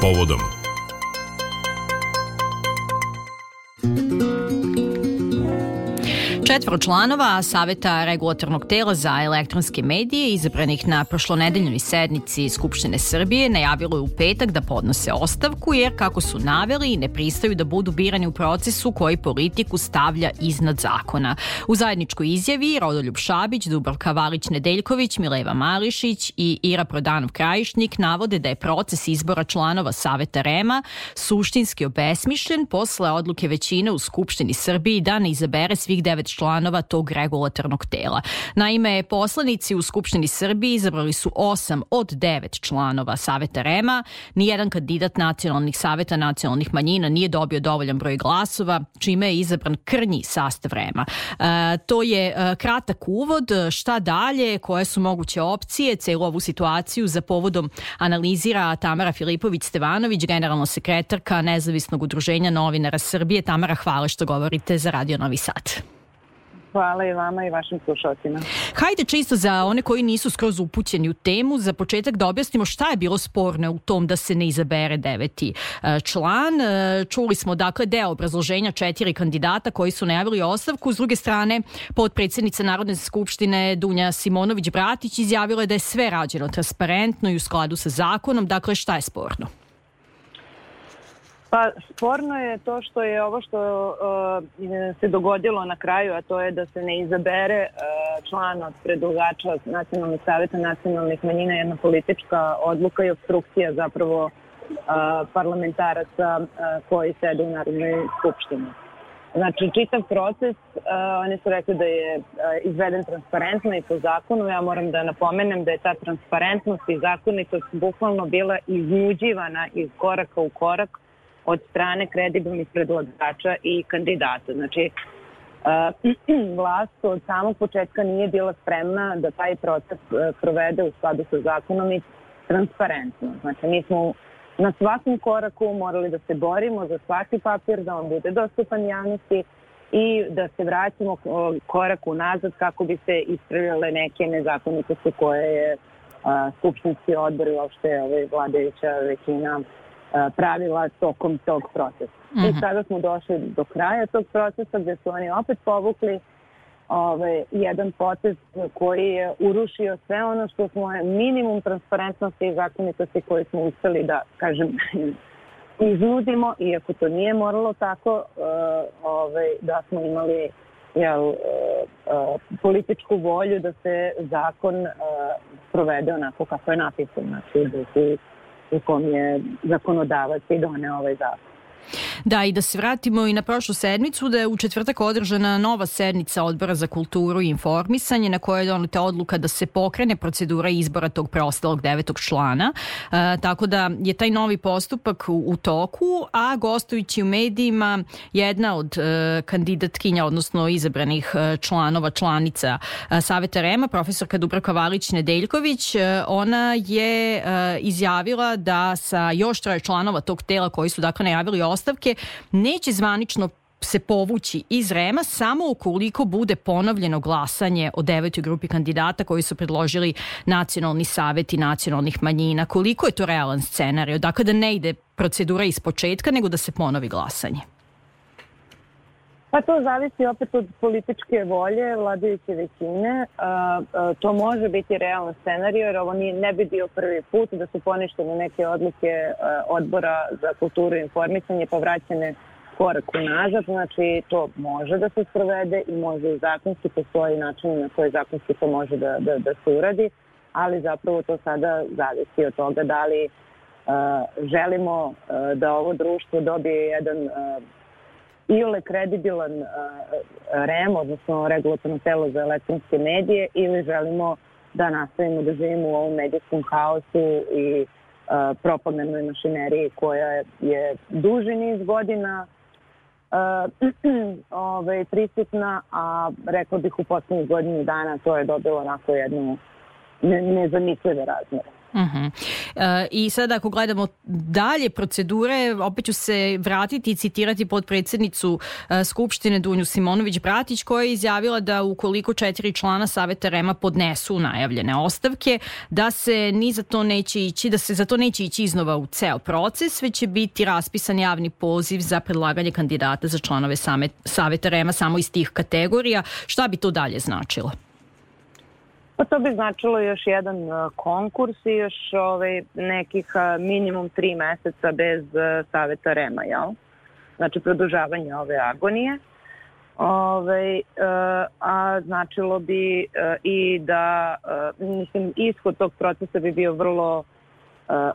povodom. Četvoro članova Saveta regulatornog tela za elektronske medije izabranih na prošlonedeljnoj sednici Skupštine Srbije najavilo je u petak da podnose ostavku jer, kako su naveli, ne pristaju da budu birani u procesu koji politiku stavlja iznad zakona. U zajedničkoj izjavi Rodoljub Šabić, Dubravka Valić-Nedeljković, Mileva Marišić i Ira Prodanov-Krajišnik navode da je proces izbora članova Saveta REM-a suštinski obesmišljen posle odluke većine u Skupštini Srbiji da ne izabere svih 9 članova tog regulatornog tela. Naime, poslanici u Skupštini Srbiji izabrali su 8 od 9 članova Saveta REM-a. Nijedan kandidat nacionalnih saveta nacionalnih manjina nije dobio dovoljan broj glasova, čime je izabran krnji sastav REM-a. To je kratak uvod. Šta dalje? Koje su moguće opcije? Celu ovu situaciju za povodom analizira Tamara Filipović-Stevanović, generalna sekretarka Nezavisnog udruženja novinara Srbije. Tamara, hvala što govorite za Radio Novi Sad. Hvala i vama i vašim slušalcima. Hajde čisto za one koji nisu skroz upućeni u temu, za početak da objasnimo šta je bilo sporno u tom da se ne izabere 9. član. Čuli smo dakle deo obrazloženja 4 kandidata koji su najavili ostavku. S druge strane, potpredsjednica Narodne skupštine Dunja Simonović-Bratić izjavila je da je sve rađeno transparentno i u skladu sa zakonom. Dakle, šta je sporno? Pa sporno je to što je ovo što se dogodilo na kraju, a to je da se ne izabere član od predlagača Nacionalnih saveta nacionalnih manjina, jedna politička odluka i obstrukcija zapravo parlamentaraca koji sede u Narodnoj skupštini. Znači, čitav proces, oni su rekli da je izveden transparentno i po zakonu. Ja moram da napomenem da je ta transparentnost i zakonitost bukvalno bila iznuđivana iz koraka u korak od strane kredibilnih predlagača i kandidata. Znači, vlast od samog početka nije bila spremna da taj proces provede u skladu sa zakonom i transparentno. Znači, mi smo na svakom koraku morali da se borimo za svaki papir, da on bude dostupan javnosti i da se vraćamo korak unazad kako bi se ispravljale neke nezakonitosti koje je skupštinski odbor i uopšte vladajuća većina pravila tokom tog procesa. I sada smo došli do kraja tog procesa gde su oni opet povukli jedan potez koji je urušio sve ono što smo minimum transparentnosti i zakonitosti koji smo uspeli da, kažem, iznudimo, iako to nije moralo tako, da smo imali političku volju da se zakon provede onako kako je napisan. Znači, u kom je zakonodavac i doneo ovaj zakon. Da, i da se vratimo i na prošlu sedmicu, da je u četvrtak održana nova sednica Odbora za kulturu i informisanje na kojoj je doneta odluka da se pokrene procedura izbora tog preostalog 9. člana. Tako da je taj novi postupak u toku, a gostujući u medijima jedna od kandidatkinja, odnosno izabranih članova, članica Saveta REM-a, profesorka Dubravka Valić-Nedeljković, ona je izjavila da sa još 3 članova tog tela koji su dakle najavili ostavke neće zvanično se povući iz REM-a samo ukoliko bude ponovljeno glasanje o 9. grupi kandidata koji su predložili Nacionalni savet i nacionalnih manjina. Koliko je to realan scenarij? Dakle, da ne ide procedura iz početka, nego da se ponovi glasanje. Pa to zavisi opet od političke volje vladajuće većine. To može biti realan scenarij, jer ovo ne bi bio prvi put da su poništene neke odluke Odbora za kulturu i informisanje pa vraćene korak unazad. Znači, to može da se sprovede i može i zakonski, postoji način na koji zakonski to može da se uradi, ali zapravo to sada zavisi od toga da li želimo da ovo društvo dobije jedan ili kredibilan REM, odnosno regulatorno telo za elektronske medije, ili želimo da nastavimo da živimo u ovom medijskom haosu i propagandnoj mašineriji koja je duži niz godina prisutna, a rekla bih u poslednjih godinu dana to je dobilo onako jednu nezamislive razmere. I sad ako gledamo dalje procedure, opet ću se vratiti i citirati potpredsjednicu Skupštine Dunju Simonović-Bratić, koja je izjavila da ukoliko 4 člana Saveta REM-a podnesu najavljene ostavke, da se za to neće ići iznova u ceo proces, već će biti raspisan javni poziv za predlaganje kandidata za članove Saveta REM-a samo iz tih kategorija. Šta bi to dalje značilo? Pa to bi značilo još jedan konkurs i još nekih minimum 3 meseca bez Saveta REM-a, jel? Znači produžavanje ove agonije. A značilo bi i da, ishod tog procesa bi bio vrlo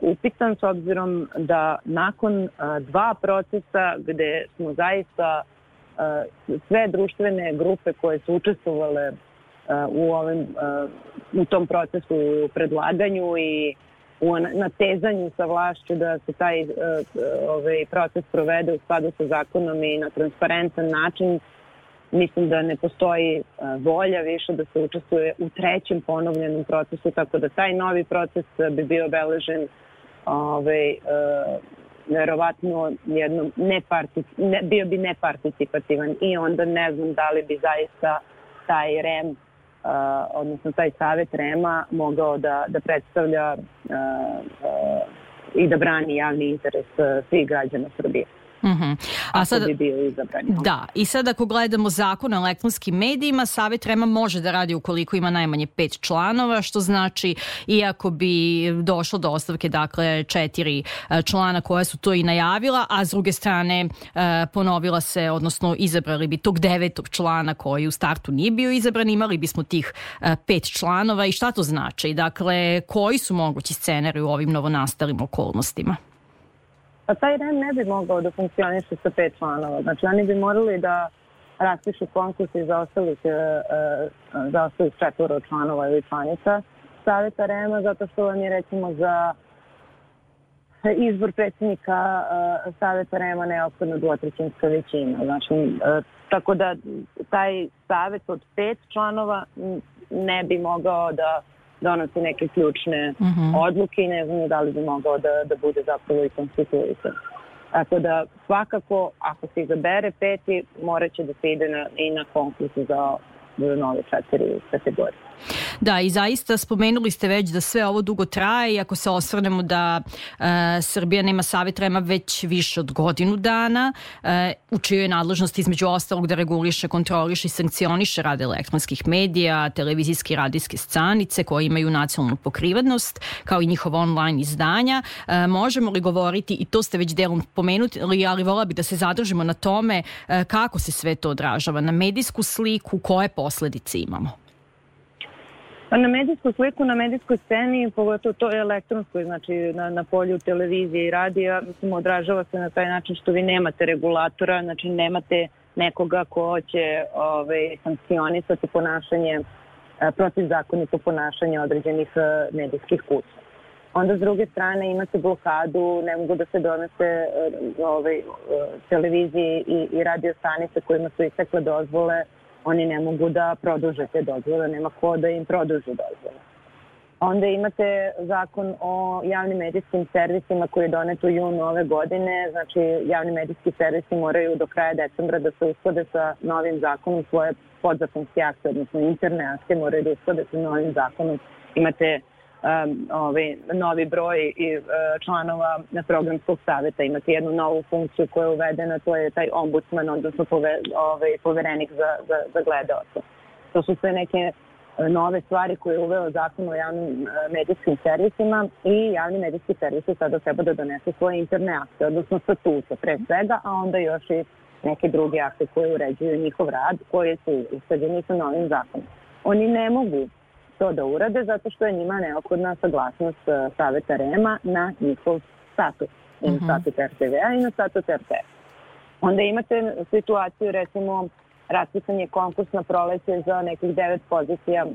upitan, s obzirom da nakon 2 procesa gde smo zaista sve društvene grupe koje su učestvovale u tom procesu, u predlaganju i u natezanju sa vlašću da se taj proces provede u skladu sa zakonom i na transparentan način, mislim da ne postoji volja više da se učestvuje u 3. ponovljenom procesu, tako da taj novi proces bi bio obeležen verovatno bio bi neparticipativan i onda ne znam da li bi zaista taj REM, odnosno taj Savet REM-a mogao da predstavlja i da brani javni interes svih građana Srbije. A sad, bi bio izabran. Da, i sad ako gledamo zakon o elektronskim medijima, Savet REM-a može da radi ukoliko ima najmanje 5 članova, što znači iako bi došlo do ostavke, dakle 4 člana koja su to i najavila, a s druge strane ponovila se, odnosno izabrali bi tog 9. člana koji u startu nije bio izabran, imali bismo tih 5 članova. I šta to znači? Dakle, koji su mogući scenari u ovim novonastalim okolnostima? Pa taj REM ne bi mogao da funkcioniše sa 5 članova. Znači, oni bi morali da raspišu konkurs i za ostalih 4 članova ili članica Saveta REM-a, zato što vam je, recimo, za izbor predsjednika Saveta REM-a neophodna 2/3 većina. Znači, tako da taj savet od 5 članova ne bi mogao da donosi neke ključne odluke i ne znam da li bi mogao da bude zapravo i konstituisan. Tako da svakako, ako se izabere 5, morat će da se ide i na konkursu za nove 4 kategorije. Da, i zaista spomenuli ste već da sve ovo dugo traje i ako se osvrnemo da Srbija nema Savet REM-a već više od godinu dana, u čijoj je nadležnosti između ostalog da reguliše, kontroliše i sankcioniše rad elektronskih medija, televizijske i radijske stanice koje imaju nacionalnu pokrivenost, kao i njihova online izdanja. Možemo li govoriti, i to ste već delom pomenuli, ali vola bi da se zadržimo na tome kako se sve to odražava na medijsku sliku, koje posledice imamo? Pa na medijsku sliku, na medijskoj sceni, pogotovo to je elektronskoj, znači na polju televizije i radija, odražava se na taj način što vi nemate regulatora, znači nemate nekoga ko će sankcionisati ponašanje, protivzakonito ponašanje određenih medijskih kuća. Onda s druge strane imate blokadu, ne mogu da se donese televizije i radio stanice kojima su istekle dozvole, oni ne mogu da produže te dozvole, nema ko da im produži dozvole. Onda imate zakon o javnim medijskim servisima koji je donet u junu ove godine. Znači, javni medijski servisi moraju do kraja decembra da se usklade sa novim zakonom, svoje podzakonske akte, odnosno interne akte moraju da usklade sa novim zakonom. Imate novi broj članova programskog saveta, imate jednu novu funkciju koja je uvedena, to je taj ombudsman, odnosno poverenik za gledaoce. To su sve neke nove stvari koje je uveo zakon o javnim medijskim servisima i javni medijski servisi sada treba da donesu svoje interne akte, odnosno statute pre svega, a onda još i neke druge akte koje uređuju njihov rad, koje su usklađeni sa novim zakonom. Oni ne mogu to da urade zato što je njima neophodna saglasnost Saveta REM-a na njihov statut. I na statut RTV-a i na statut RTS. Onda imate situaciju, recimo, raspisan je konkurs na proleće za nekih 9 pozicija,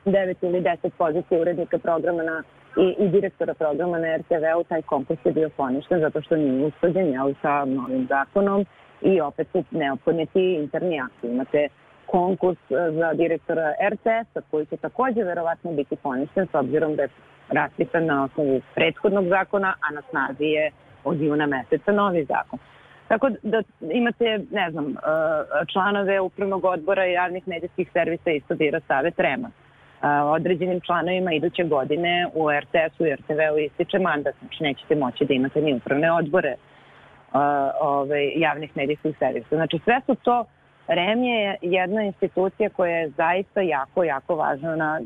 9 ili 10 pozicija urednika programa i direktora programa na RTV-u. Taj konkurs je bio poništen zato što nije usklađen sa novim zakonom i opet su neophodni ti interni akti. Imate konkurs za direktora RTS-a, koji će također verovatno biti poništen, s obzirom da je raspisan na osnovu prethodnog zakona, a na snazi je od juna meseca novi zakon. Tako da imate, ne znam, članove upravnog odbora i javnih medijskih servisa isto bira Savet REM-a. Određenim članovima iduće godine u RTS-u i RTV-u ističe mandat, znači nećete moći da imate ni upravne odbore javnih medijskih servisa. Znači sve su to, REM je jedna institucija koja je zaista jako, jako važna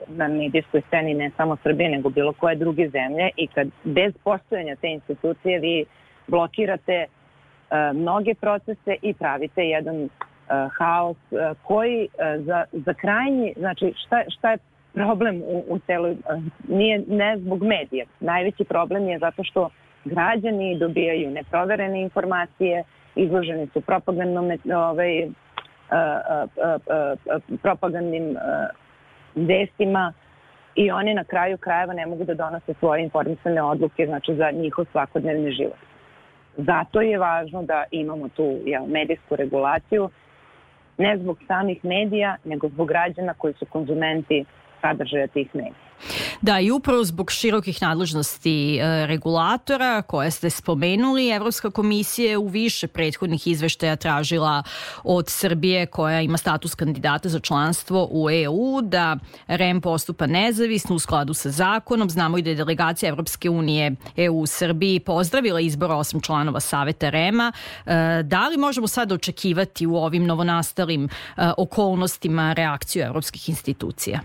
na medijskoj sceni, ne samo Srbije, nego bilo koje druge zemlje, i kad bez postojanja te institucije vi blokirate mnoge procese i pravite jedan haos koji za krajnji, znači šta je problem u celoj, nije ne zbog medija. Najveći problem je zato što građani dobijaju neproverene informacije, izloženi su propagandnim vestima i oni na kraju krajeva ne mogu da donose svoje informisane odluke, znači za njihov svakodnevni život. Zato je važno da imamo tu medijsku regulaciju, ne zbog samih medija, nego zbog građana koji su konzumenti sadržaja tih medija. Da, i upravo zbog širokih nadležnosti regulatora koje ste spomenuli, Evropska komisija je u više prethodnih izveštaja tražila od Srbije, koja ima status kandidata za članstvo u EU, da REM postupa nezavisno u skladu sa zakonom. Znamo i da je delegacija Evropske unije EU u Srbiji pozdravila izbor 8 članova Saveta REM-a. Da li možemo sad očekivati u ovim novonastalim okolnostima reakciju evropskih institucija?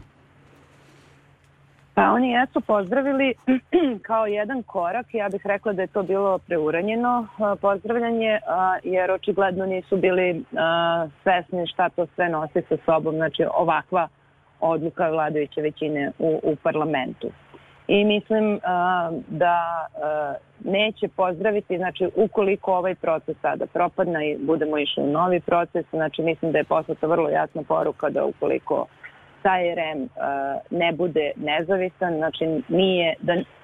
Pa oni jesu pozdravili kao jedan korak. Ja bih rekla da je to bilo preuranjeno pozdravljanje, jer očigledno nisu bili svesni šta to sve nosi sa sobom, znači ovakva odluka vladajuće većine u parlamentu. I mislim da neće pozdraviti, znači ukoliko ovaj proces sada propadne i budemo išli u novi proces, znači mislim da je poslata vrlo jasna poruka da ukoliko taj REM ne bude nezavisan, znači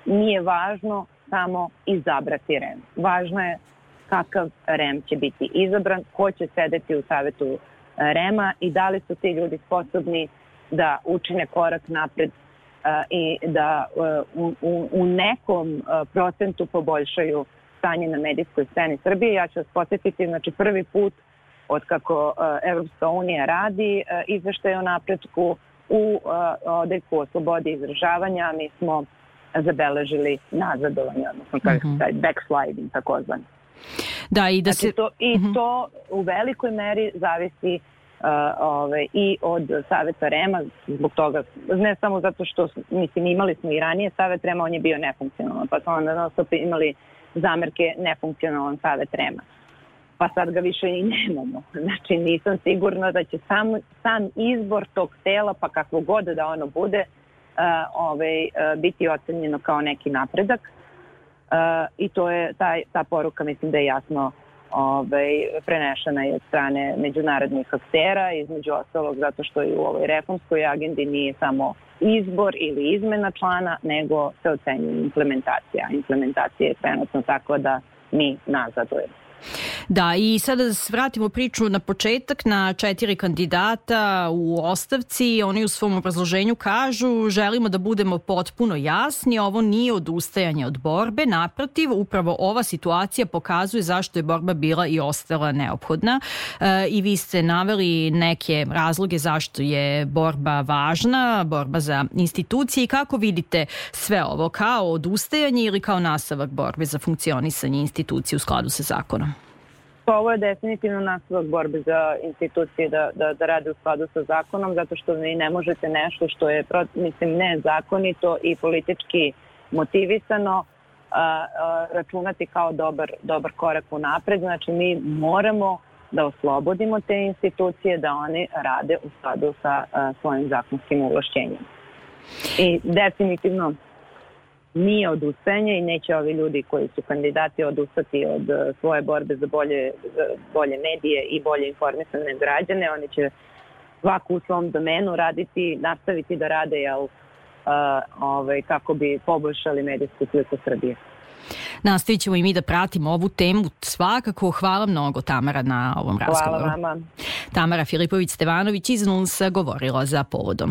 nije važno samo izabrati REM. Važno je kakav REM će biti izabran, ko će sedeti u savetu REM-a i da li su ti ljudi sposobni da učine korak napred i da u nekom procentu poboljšaju stanje na medijskoj sceni Srbije. Ja ću vas podsjetiti, znači prvi put od kako Evropska unija radi izveštaj o napretku u odeljku o slobodi izražavanja, mi smo zabeležili nazadovanje, odnosno taj backsliding takozvani. Da, i da znači, to u velikoj meri zavisi i od Saveta REM-a, zbog toga, ne samo zato što, mislim, imali smo i ranije Savet REM-a, on je bio nefunkcionalan, pa smo onda imali zamerke nefunkcionalan Savet REM-a. Pa sad ga više i nemamo. Znači nisam sigurna da će sam izbor tog tela, pa kakvo god da ono bude, biti ocenjeno kao neki napredak. I to je ta poruka, mislim da je jasno prenešena i od strane međunarodnih aktera, između ostalog zato što i u ovoj reformskoj agendi nije samo izbor ili izmena člana, nego se ocenjuje implementacija. Implementacija je trenutno tako da mi nazadujemo. Da, i sada da se vratimo priču na početak, na 4 kandidata u ostavci. Oni u svom obrazloženju kažu: želimo da budemo potpuno jasni, ovo nije odustajanje od borbe, naprotiv, upravo ova situacija pokazuje zašto je borba bila i ostala neophodna. I vi ste naveli neke razloge zašto je borba važna, borba za institucije, i kako vidite sve ovo, kao odustajanje ili kao nastavak borbe za funkcionisanje institucije u skladu sa zakonom? Ovo je definitivno nastavak borbe za institucije da rade u skladu sa zakonom, zato što vi ne možete nešto što je, mislim, nezakonito i politički motivisano računati kao dobar korak u napred. Znači mi moramo da oslobodimo te institucije da oni rade u skladu sa svojim zakonskim ovlašćenjem. I definitivno nije odustajanje i neće ovi ljudi koji su kandidati odustati od svoje borbe za bolje medije i bolje informisane građane. Oni će svako u svom domenu nastaviti da rade kako bi poboljšali medijsku sliku Srbije. Nastavit ćemo i mi da pratimo ovu temu. Svakako, hvala mnogo, Tamara, na ovom razgovoru. Hvala vama. Tamara Filipović-Stevanović iz NUNS-a govorila za Povodom.